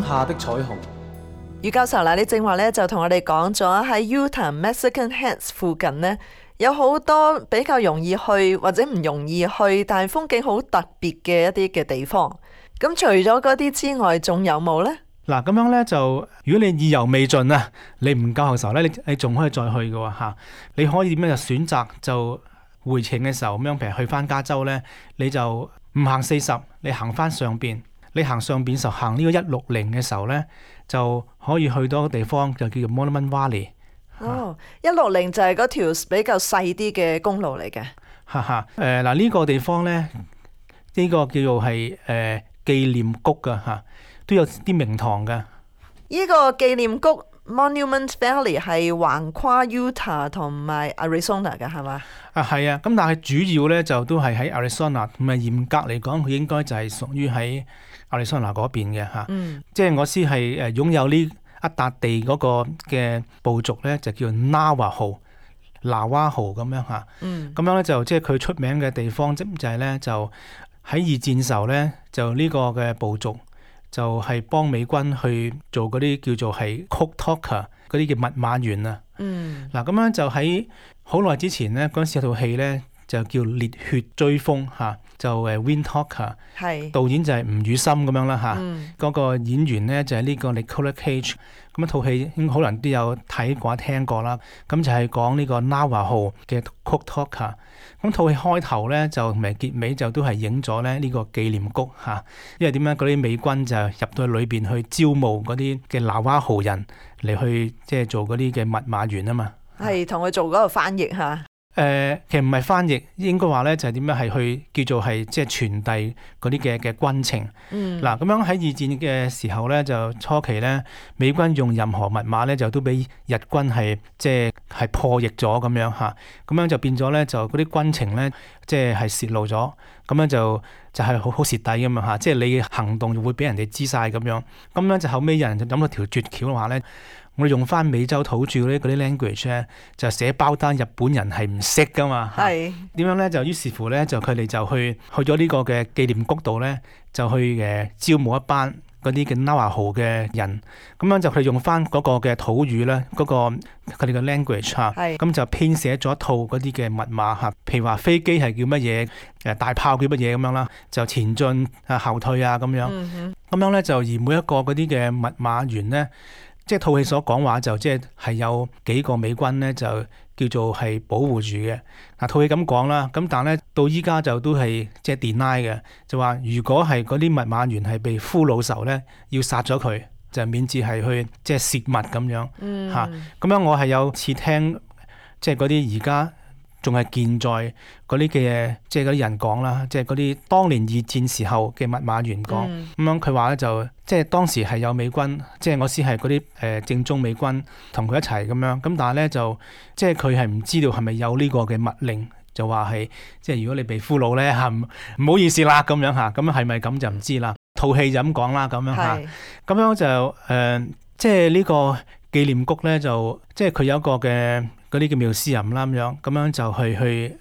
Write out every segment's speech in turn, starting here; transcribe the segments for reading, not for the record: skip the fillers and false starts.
下的彩虹。余教授嗱，你正話咧就同我哋講咗喺 Utah Mexican Heads 附近呢，有好多比較容易去或者唔容易去，但係風景好特別嘅一啲嘅地方。咁除咗嗰啲之外，仲有冇呢？嗱，咁樣咧就，如果你意猶未盡啊，你唔夠嘅時候咧，你仲可以再去嘅喎嚇。你可以點樣就選擇就回程嘅時候咁樣，譬如去翻加州咧，你就唔行40，你行翻上邊。你行上邊時候行呢個160嘅時候咧，就可以去到一個地方就叫做 Monument Valley。哦，160就係嗰條比較細啲嘅公路嚟嘅。哈哈，嗱呢個地方咧，呢個叫做係紀念谷噶嚇。都有啲名堂嘅。呢個紀念谷 Monument Valley 係橫跨 Utah 同埋 Arizona 嘅，係嘛？係啊，咁但係主要咧就都係喺 Arizona，咁啊嚴格嚟講，佢應該就係屬於喺 Arizona 嗰邊嘅嚇。即係我知係擁有呢一笪地嗰個嘅部族咧，就叫 Navajo 拿瓦豪咁樣嚇。咁樣咧就即係佢出名嘅地方，就係咧就喺二戰時候咧，就呢個嘅部族。就係幫美軍去做嗰啲叫做係 code talker 嗰啲叫密碼員啊。嗱咁樣就喺好耐之前咧，嗰陣時有套戲咧就叫《烈血追風》嚇，就Wind Talker， 係導演就係吳宇森咁樣啦嚇。嗰個演員咧就係呢個 Nicolas Cage。咁一套戲應該可能都有睇過聽過啦。咁就係講呢個 Navajo 嘅 code talker。咁套戲開頭咧就同埋結尾就都係影咗咧呢個紀念谷嚇。因為點樣嗰啲美軍就入到去裏邊去招募嗰啲嘅拿瓦豪人嚟去即係做嗰啲嘅密碼員啊嘛。係同佢做嗰個翻譯嚇。其實唔係翻譯，應該話咧就係點樣係去叫做係即係傳遞嗰啲嘅軍情。嗱咁樣喺二戰嘅時候咧，就初期咧，美軍用任何密碼咧，就都俾日軍係即係破譯咗咁樣嚇。咁樣就變咗咧，就嗰啲軍情咧，即係泄露咗。咁樣就係好蝕底咁樣嚇。即係你嘅行動會俾人哋知晒咁樣。咁樣就後尾有人就諗到條絕橋嘅話咧。我哋用翻美洲土著嗰啲 language 咧，就寫包單，日本人係唔識噶嘛。係點樣咧？就於是乎咧，就佢哋就去咗呢個嘅紀念谷度咧，就去招募一班嗰啲嘅 Navajo 嘅人。咁樣就佢哋用翻嗰個嘅土語咧，嗰個佢哋嘅 language 嚇。咁就編寫咗一套嗰啲嘅密碼嚇。譬如話飛機係叫乜嘢，大炮叫乜嘢咁樣啦，就前進啊、後退啊咁樣。咁樣咧就而每一個嗰啲嘅密碼員咧。即係套戲所講話就即係有幾個美軍咧就叫做係保護住嘅。嗱套戲咁講啦，咁但係咧到依家就都係即係 deny 嘅，就話如果係嗰啲密碼員係被俘虜時候咧，要殺咗佢，就免至係去即係泄密咁樣嚇。咁樣我係有次聽即係嗰啲而家仲係健在嗰啲嘅即係嗰啲人講啦，即係嗰啲當年二戰時候嘅密碼員講咁樣，佢話咧就即係當時係有美軍，即係我先係嗰啲正宗美軍同佢一齊咁樣，咁但係咧就即係佢係唔知道係咪有呢個嘅密令，就話係即係如果你被俘虜咧嚇唔好意思啦咁樣嚇，咁係咪咁就唔知啦。套戲就咁講啦咁樣嚇，咁樣就即係呢個紀念谷咧就即係佢有一個嘅。嗰啲叫museum啦咁樣就去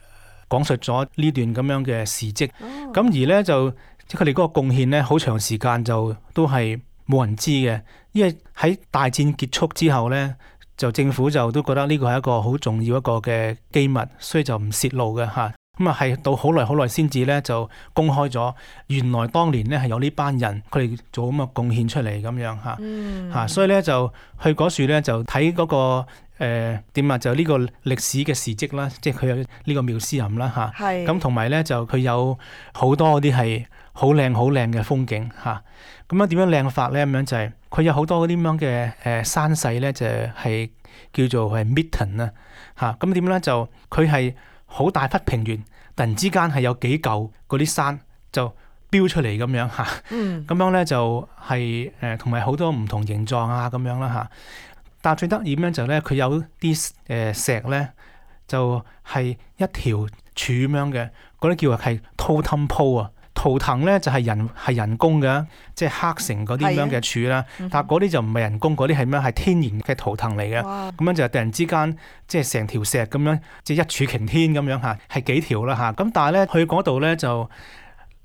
講述咗呢段咁樣嘅事蹟。咁而咧就即係佢哋嗰個貢獻咧，好長時間就都係冇人知嘅，因為喺大戰結束之後咧，就政府就都覺得呢個係一個好重要一個嘅機密，所以就唔泄露嘅嚇。咁啊係到好耐先至咧就公開咗，原來當年咧係有呢班人佢哋做咁嘅貢獻出嚟咁樣嚇。所以咧就去嗰處咧就睇嗰個。點啊？就呢個歷史嘅事蹟啦，即係佢有呢個museum啦嚇。咁同埋咧就佢有好多嗰啲係好靚嘅風景嚇。咁樣點樣靚法咧？咁樣就係佢有好多嗰啲咁樣嘅山勢咧，就係叫做係 mitten 啊嚇。咁點咧就佢係好大忽平原，突然之間係有幾嚿嗰啲山就飆出嚟咁樣嚇。咁樣咧就係同埋好多唔同形狀啊咁樣啦嚇。但係最得意咁樣就咧，佢有啲石咧，就係一條柱咁樣嘅，嗰啲叫係 totem pole 啊。圖騰咧就係人工嘅，即係刻成嗰啲咁樣嘅柱啦。但係嗰啲就唔係人工，嗰啲係咩？係天然嘅圖騰嚟嘅。咁樣就突然之間，即係成條石咁樣，即係一柱擎天咁樣嚇，係幾條啦嚇。咁但係咧去嗰度咧就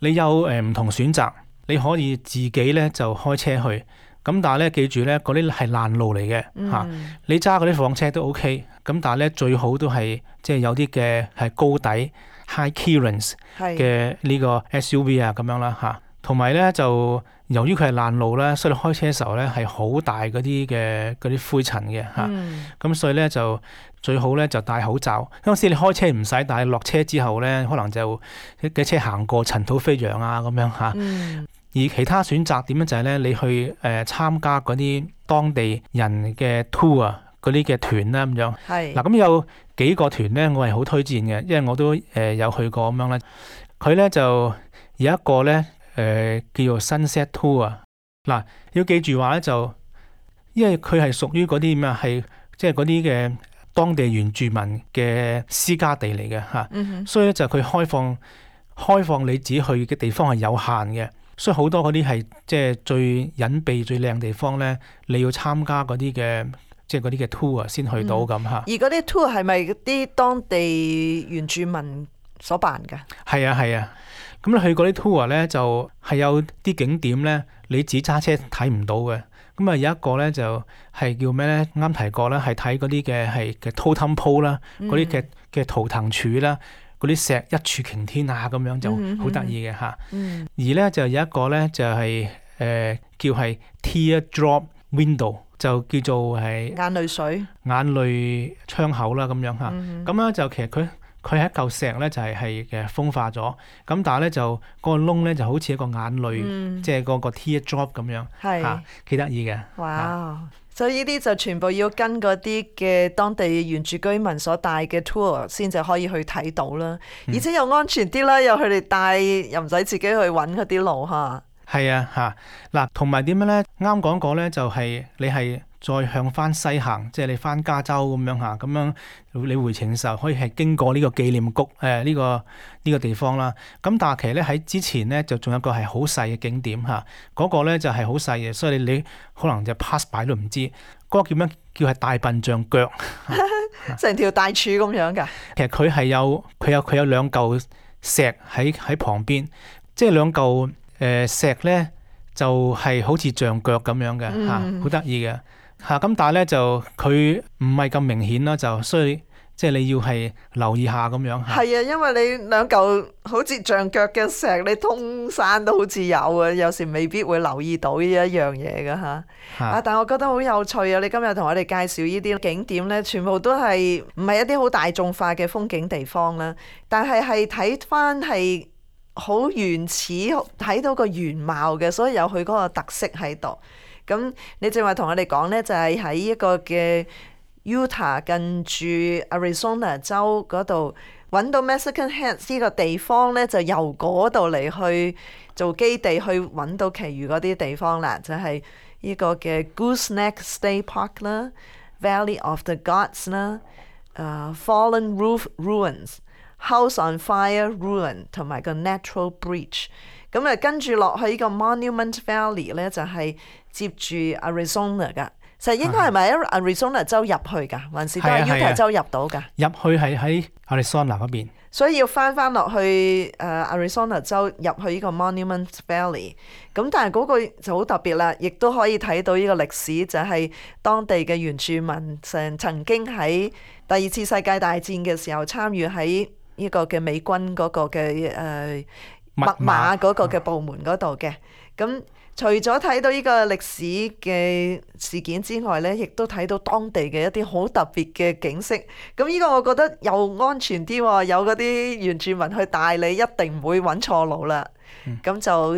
你有唔同選擇，你可以自己咧就開車去。咁但係咧記住咧，嗰啲係爛路嚟嘅嚇。你揸嗰啲房車都 OK，咁但係咧最好都係即係有啲嘅係高底 high clearance 嘅呢個 SUV 啊咁樣啦嚇。同埋咧就由於佢係爛路咧，所以你開車嘅時候咧係好大嗰啲灰塵嘅嚇。咁所以咧就最好咧就戴口罩。嗰陣時你開車唔使戴，落車之後咧可能就嘅車行過塵土飛揚啊咁樣嚇。而其他選擇點樣就係咧，你去參加嗰啲當地人嘅 tour 啊，嗰啲嘅團啦咁樣。嗱咁有幾個團咧，我係好推薦嘅，因為我都有去過咁樣咧。佢咧就有一個咧叫做 Sunset Tour 啊。嗱要記住話咧就，因為佢係屬於嗰啲咩係即係嗰啲嘅當地原住民嘅私家地嚟嘅嚇。所以咧就佢開放你自己去嘅地方係有限嘅。所以好多嗰啲係即係最隱蔽、最靚地方咧，你要參加嗰啲嘅即係嗰啲嘅 tour 先去到咁嚇。而嗰啲 tour 係咪啲當地原住民所辦㗎？係啊。咁你去嗰啲 tour 咧，就係有啲景點咧，你自己揸車睇唔到嘅。咁啊有一個咧就係叫咩咧？啱提過啦，係睇嗰啲嘅係嘅 totem pole 啦，嗰啲嘅圖騰柱啦。嗰啲石一柱擎天啊，咁樣就好得意嘅嚇。而咧就有一個咧就係叫係 teardrop window， 就叫做係眼淚水、眼淚窗口啦咁樣嚇。咁咧就其實佢係一嚿石咧就係嘅風化咗，咁但係咧就嗰個窿咧就好似一個眼淚，即係嗰個 teardrop 咁樣嚇，幾得意嘅。哇！所以呢啲就全部要跟嗰啲嘅當地原住居民所帶嘅 tour 先至可以去睇到啦，而且又安全啲啦，又佢哋帶又唔使自己去揾嗰啲路嚇。係啊嚇，嗱同埋點樣咧？啱講過咧，就係你係再向翻西行，即係你翻加州咁樣嚇，咁樣你回程嘅時候可以係經過呢個紀念谷呢個地方啦。咁但係其實咧喺之前咧就仲有個係好細嘅景點嚇，嗰個咧就係好細嘅，所以你可能就 pass by 都唔知。嗰個叫咩？叫係大笨象腳，成條大柱咁樣㗎。其實佢係有兩嚿石喺旁邊，即係兩嚿石咧就係好似象腳咁樣嘅嚇，好得意嘅嚇。咁但係咧就佢唔係咁明顯啦，就所以即係你要係留意下咁樣嚇。係啊，因為你兩嚿好似象腳嘅石，你通山都好似有啊，有時未必會留意到呢一樣嘢㗎嚇。但係我覺得好有趣啊！你今日同我哋介紹呢啲景點咧，全部都係唔係一啲好大眾化嘅風景地方啦，但係睇翻係好原始，睇到個原貌嘅，所以有佢嗰個特色喺度。咁你正話同我哋講咧，就係喺一個嘅 Utah 近住 Arizona 州嗰度揾到 Mexican Heads 呢個地方咧，就由嗰度嚟去做基地，去揾到其餘嗰啲地方啦，就係呢個嘅 Gooseneck State Park 啦、Valley of the Gods 啦、Fallen Roof Ruins、House on Fire Ruin 同埋個 Natural Breach。咁跟住落去呢個 Monument Valley 咧，就係接住 Arizona 噶。實應該係咪喺 Arizona 州入去㗎，還是都係 Utah 州入到㗎？入去係喺 Arizona 嗰邊，所以要翻落去Arizona 州入去呢個 Monument Valley。咁但係嗰個就好特別啦，亦都可以睇到呢個歷史，就係當地嘅原住民曾經喺第二次世界大戰嘅時候參與喺呢個嘅美軍嗰個嘅密碼嗰個嘅部門嗰度嘅。咁除咗睇到呢個歷史嘅事件之外呢，亦都睇到當地嘅一啲好特別嘅景色。咁呢個我覺得又安全啲喎，有嗰啲原住民去帶你，一定唔會揾錯路啦。咁就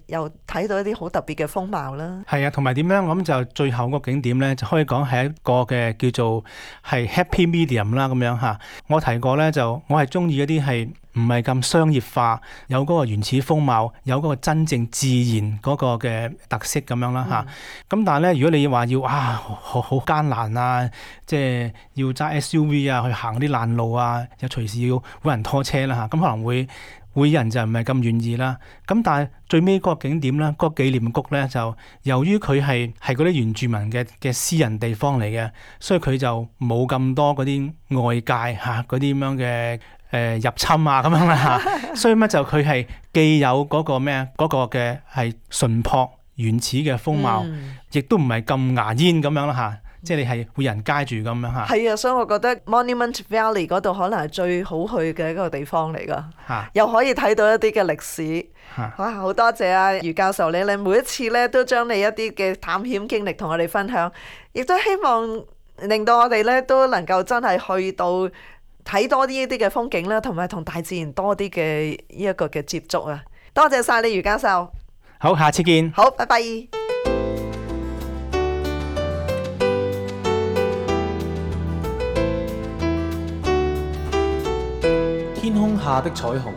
又睇到一啲好特別嘅風貌啦。係啊，同埋點樣？咁就最後個景點呢，就可以講係一個嘅叫做係 Happy Medium 啦咁樣嚇。我提過呢，就我係中意一啲係唔係咁商業化，有嗰個原始風貌，有嗰個真正自然嗰個嘅特色咁樣啦嚇。咁但係呢，如果你話要好艱難啊，即係要揸 SUV 啊去行啲爛路啊，又隨時要揾人拖車啦嚇，咁可能會人就唔係咁願意啦。咁但係最尾嗰個景點咧，嗰個紀念谷咧，就由於佢係嗰啲原住民嘅私人地方嚟嘅，所以佢就冇咁多嗰啲外界嚇嗰啲咁樣嘅入侵啊咁樣啦嚇。所以乜就佢係既有嗰個咩嗰個嘅係淳樸原始嘅風貌，亦都唔係咁牙煙咁樣啦嚇。即係你係會人街住咁樣嚇。係啊，所以我覺得 Monument Valley 嗰度可能係最好去嘅一個地方嚟㗎，又可以睇到一啲嘅歷史。哇！好多謝啊余教授你每一次咧都將你一啲嘅探險經歷同我哋分享，亦都希望令到我哋咧都能夠真係去到睇多啲呢啲嘅風景啦，同埋同大自然多啲嘅呢一個嘅接觸啊！多謝晒你余教授。好，下次見。好，拜拜。天空下的彩虹